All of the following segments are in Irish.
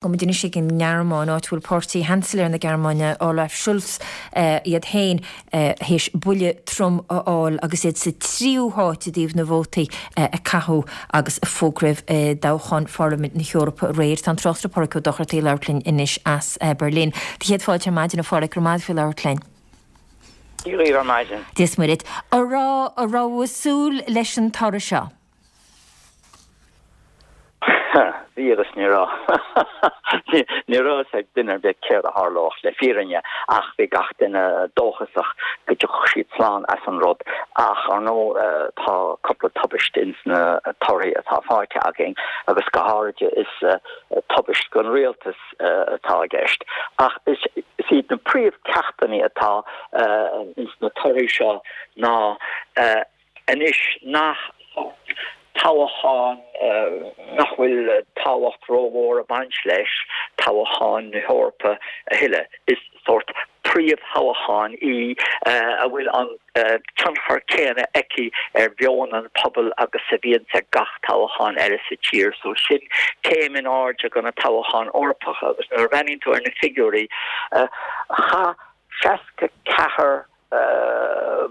Gabhfaidh muid anois ag an nGearmáin, áit a bhfuil páirtí Sheansailéir na Gearmáine, Olaf Scholz, iad féin théis buille trom a fháil agus iad sa tríú háit i dtaobh na vótaí a caitheadh agus a fógraíodh i dtoghchán Pharlaimint na hEorpa aréir. Tá an tráchtaire Páraic Ó Dochartaigh ag labhairt linn anois as Berlin. Do chéad fáilte ar maidin, a Pháraic, go raibh maith agat faoi labhairt linn. Dia dhaoibh ar maidin. Dia is Muire duit. An raibh, an raibh tú ag súil leis an toradh seo? Bhí agus ní raibh. Ní raibh a fhios ag duine ar bith céard a tharlódh le fírinne ach bhí gach duine dóchasach go dtiocfadh siad slán as an rud. Ach ar ndóigh tá cúpla tubaiste ins na torthaí atá faighte againn agus go háirid is tubaist don rialtas atá i gceist. Ach is iad na príomhcheachtanna atá ins na torthaí seo ná anois nach toghchán nach bhfuil tábhacht rómhór ag baint leis, toghchán na hEorpa a thuilleadh. Is sórt príomhthoghchán í a bhfuil an tionchar céanna aici ar mheon an phobail agus a bhíonns ag gach toghchán eile sa tír. So sin céim in airde do na toghcháin Eorpacha agus nuair a bhreathnaíonn tú ar na figiúirí, chaith 64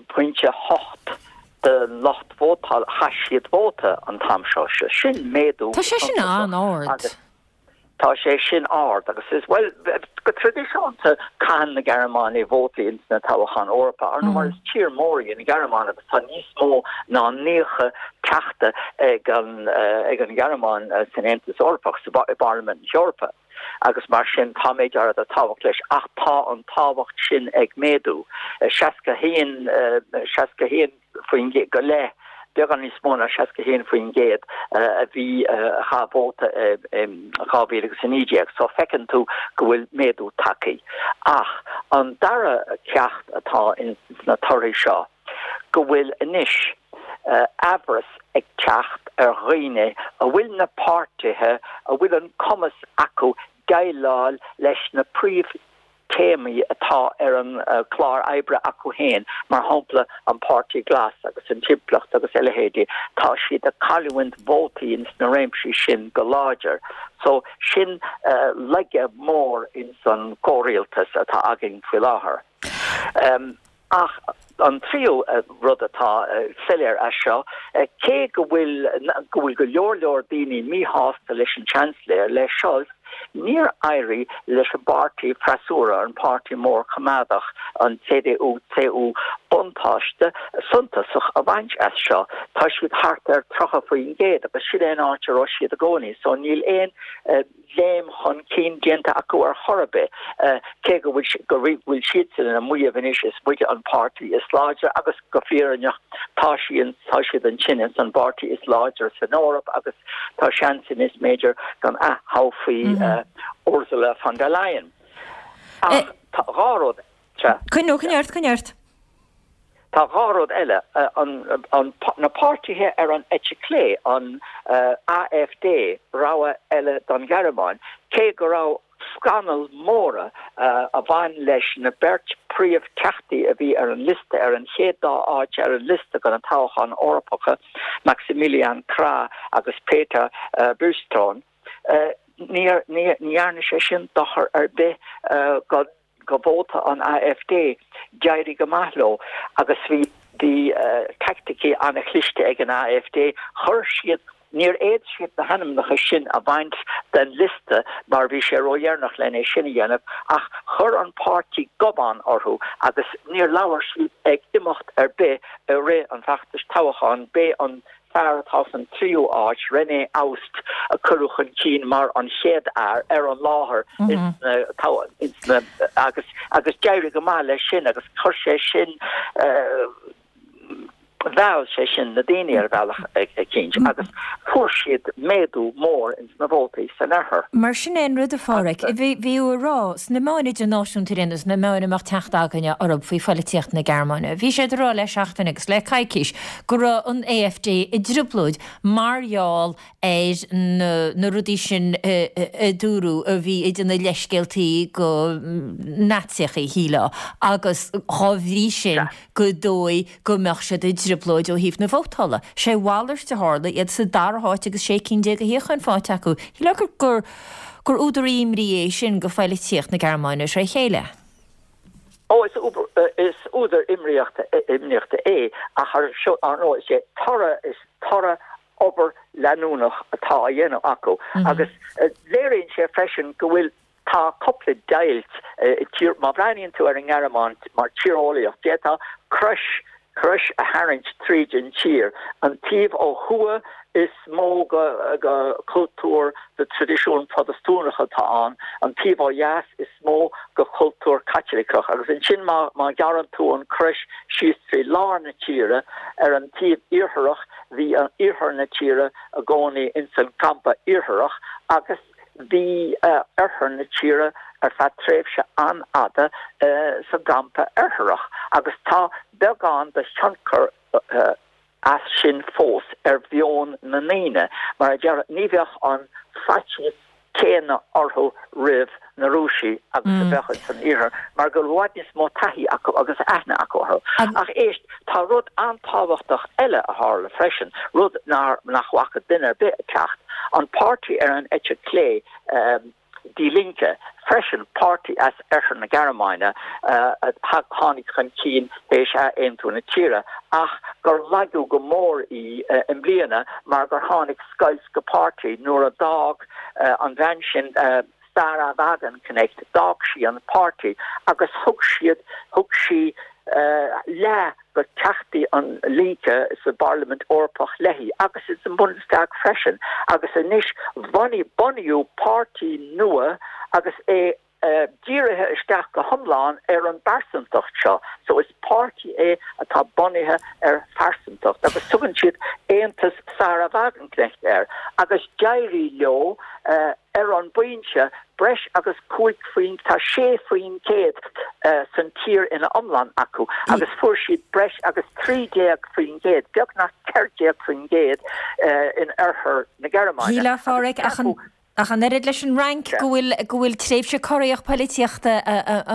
pointe 8 den lucht vótála, chaith siad vóta an t-am seo. Sin méadú Tá sé sin an-ard. Tá sé sin ard agus is, bhuel, go traidisiúnta caitheann na Gearmánaigh vótaí ins na toghcháin Eorpa, ar ndóigh mar is tír mór í an Ghearmáin agus tá níos mó ná 90 teachta ag an ag an Ghearmáin san Aontas Eorpach, sa i bParlaimint na hEorpa. agus mar sin tá méid áirithe de tábhacht leis ach tá an tábhacht sin ag méadú. 61, 61% go leith, beagán níos mó ná 61% a bhí a chaith vóta in 2019 so feiceann tú go bhfuil méadú tagtha. Ach an dara ceacht atá ins na torthaí seo, go bhfuil anois aimhreas ag teacht ar dhaoine a bhfuil na páirtithe a bhfuil an cumas acu déileáil leis na príomhthéamaí atá ar an chlár oibre acu féin, mar shampla an Páirtí Glas agus an timpeallacht agus a leithéidí, tá siad ag cailliúint vótaí ins na réimsí sin go láidir. So sin laige mór ins an gcomhrialtas atá againn faoi láthair. Ach an tríú rud atá soiléir as seo, cé go bhfuil go bhfuil go leor leor daoine míshásta leis an Seansailéir, le Scholz, níor éirigh leis an bpáirtí freasúra, an páirtí mór coimeádach, an CDU, CSU, buntáiste suntasach a bhaint as seo. Tá siad thart ar 30% agus sin é an áit a raibh siad i gcónaí, so níl aon léim chun cinn déanta acu ar chor ar bith, cé go bhfuil go bhfuil siadsan ag maíomh anois is muide an páirtí is láidre agus go fírinneach tá sí tá siad ansin ins an bpáirtí is láidre san Eoraip agus tá seans anois b'fhéidir go n-ath-thoghfaí Ursula von der Leyen. Ach tá dhá rud. Coinnigh coinnigh ort, coinnigh ort. Tá dhá rud eile, na páirtithe ar an eite chlé, an AfD, Rogha Eile don Ghearmáin, cé go raibh scannail mhóra a bhain leis na beirt príomh-theachtaí a bhí ar an liosta, ar an chéad dá áit ar an liosta do na toghcháin Eorpacha, Maximilian Krah agus Peter Bystron, ní dhearna sé sin dochar ar bith do do vóta an AfD, d'éirigh go maith leo agus bhí bhí teaicticí an-chliste ag an AfD, chuir siad, níor fhéad siad na hainmneacha sin a bhaint den liosta mar bhí sé ródheireanach len é sin a dhéanamh ach chuir an páirtí gobán orthu agus níor labhair siad ag imeacht ar bith i rith an bhfeachtais toghcháin, b'é an fear atá san tríú áit, René Aust, a cuireadh chun cinn mar an chéad fhear ar an láthair ins na agus agus d'éirigh go maith leis sin agus chuir sé sin mheall sé sin na daoine ar bhealach eicínt agus fuair siad méadú mór ins na vótaí san oirthear. Mar sin é an rud, a Pháraic. Bhí tú ag rá, sna meáin idirnáisiúnta ar aon nós, na meáin a mbeadh teacht againne orthu faoi phoilitíocht na Gearmáine, bhí siad ag rá le seachtain agus le coicís go raibh an AfD i dtrioblóid mar gheall ar na rudaí sin a dúradh a bhí ag déanamh leithscéaltaí go Naitsíocha, shílfeá, agus dhá bhrí sin gur dóigh go mbeadh siad i dtrioblóid ó thaobh na vótála. Sé a mhalairt a tharla, iad sa dara háit agus 16 cinn de shuíocháin faighte acu. Shílfeá gur. gur údar imní é sin go phoilitíocht na Gearmáine tré chéile. Ó, is is údar imríochta imníochta é, ach ar ar ndóigh is é toradh is toradh obair leanúnach atá á dhéanamh acu agus léiríonn sé freisin go bhfuil Tá cúpla deighilt i tír, má bhreathnaíonn tú ar an nGearmáin mar tíreolaíocht, d'fhéadfá crois, crois a tharraingt tríd an tír. An taobh ó thuaidh is mó go cultúr de traidisiún Protastúnach atá ann, an taobh ó dheas is mó go cultúr Caitliceach. Agus ansin má, má ghearrann tú an crois síos trí lár na tíre, ar an taobh iartharach, bhí an iarthar na tíre i gcónaí ins an gcampa iartharach agus, Bhí oirthear na tíre ar feadh tréimhse an-fhada sa gcampa oirthearach agus tá beagán de thionchar as sin fós ar mheon na ndaoine. Mar a déarfá, ní bheadh an faitíos céanna orthu roimh na Rúisigh agus a bheadh ins an iarthar mar go bhfuil i bhfad níos mó taithí acu agus aithne acu orthu. Ach éist, tá rud an-tábhachtach eile a tharla freisin, rud nach bhfaca duine ar bith ag teacht, an páirtí ar an eite chlé, Die Linke, freisin, páirtí as oirthear na Gearmáine a tháinig chun cinn théis ath-aontú na tíre, ach gur lagaíodh go mór í i mbliana mar gur tháinig scoilt go páirtí nuair a d'fhág an bhean sin, Sahra Wagenknecht, d'fhág sí an páirtí agus thug siad, thug sí leath go teachtaí an Linke sa bParlaimint Eorpach léi agus ins an Bundestag freisin agus anois bhunaigh, bunaíodh páirtí nua agus é dírithe isteach go hiomlán ar an bpearsantacht seo. So is páirtí é atá bunaithe ar phearsantacht agus tugann siad Aontas Sahra Wagenknecht air agus d'éirigh leo ar an bpointe, breis agus 5 faoin, tá 6% san tír ina iomlán acu agus fuair siad breis agus 13%, beagnach 14% in oirthear na Gearmáine. Shílfeá, a Pháraic, ach an, ach an oiread leis an Fhrainc, go bhfuil, go bhfuil tréimhse corraitheach poilitíochta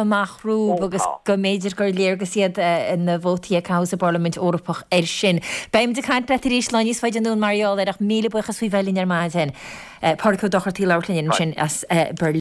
amach rompu agus go mb'fhéidir gur léargas iad na vótaí a caitheadh sa bParlaimint Eorpach air sin. Beimid ag caint leat arís lá níos faide anonn mar gheall air ach míle buíochas faoi bheith linn ar maidin. Páraic Ó Dochartaigh ag labhairt linn ansin as Berlin.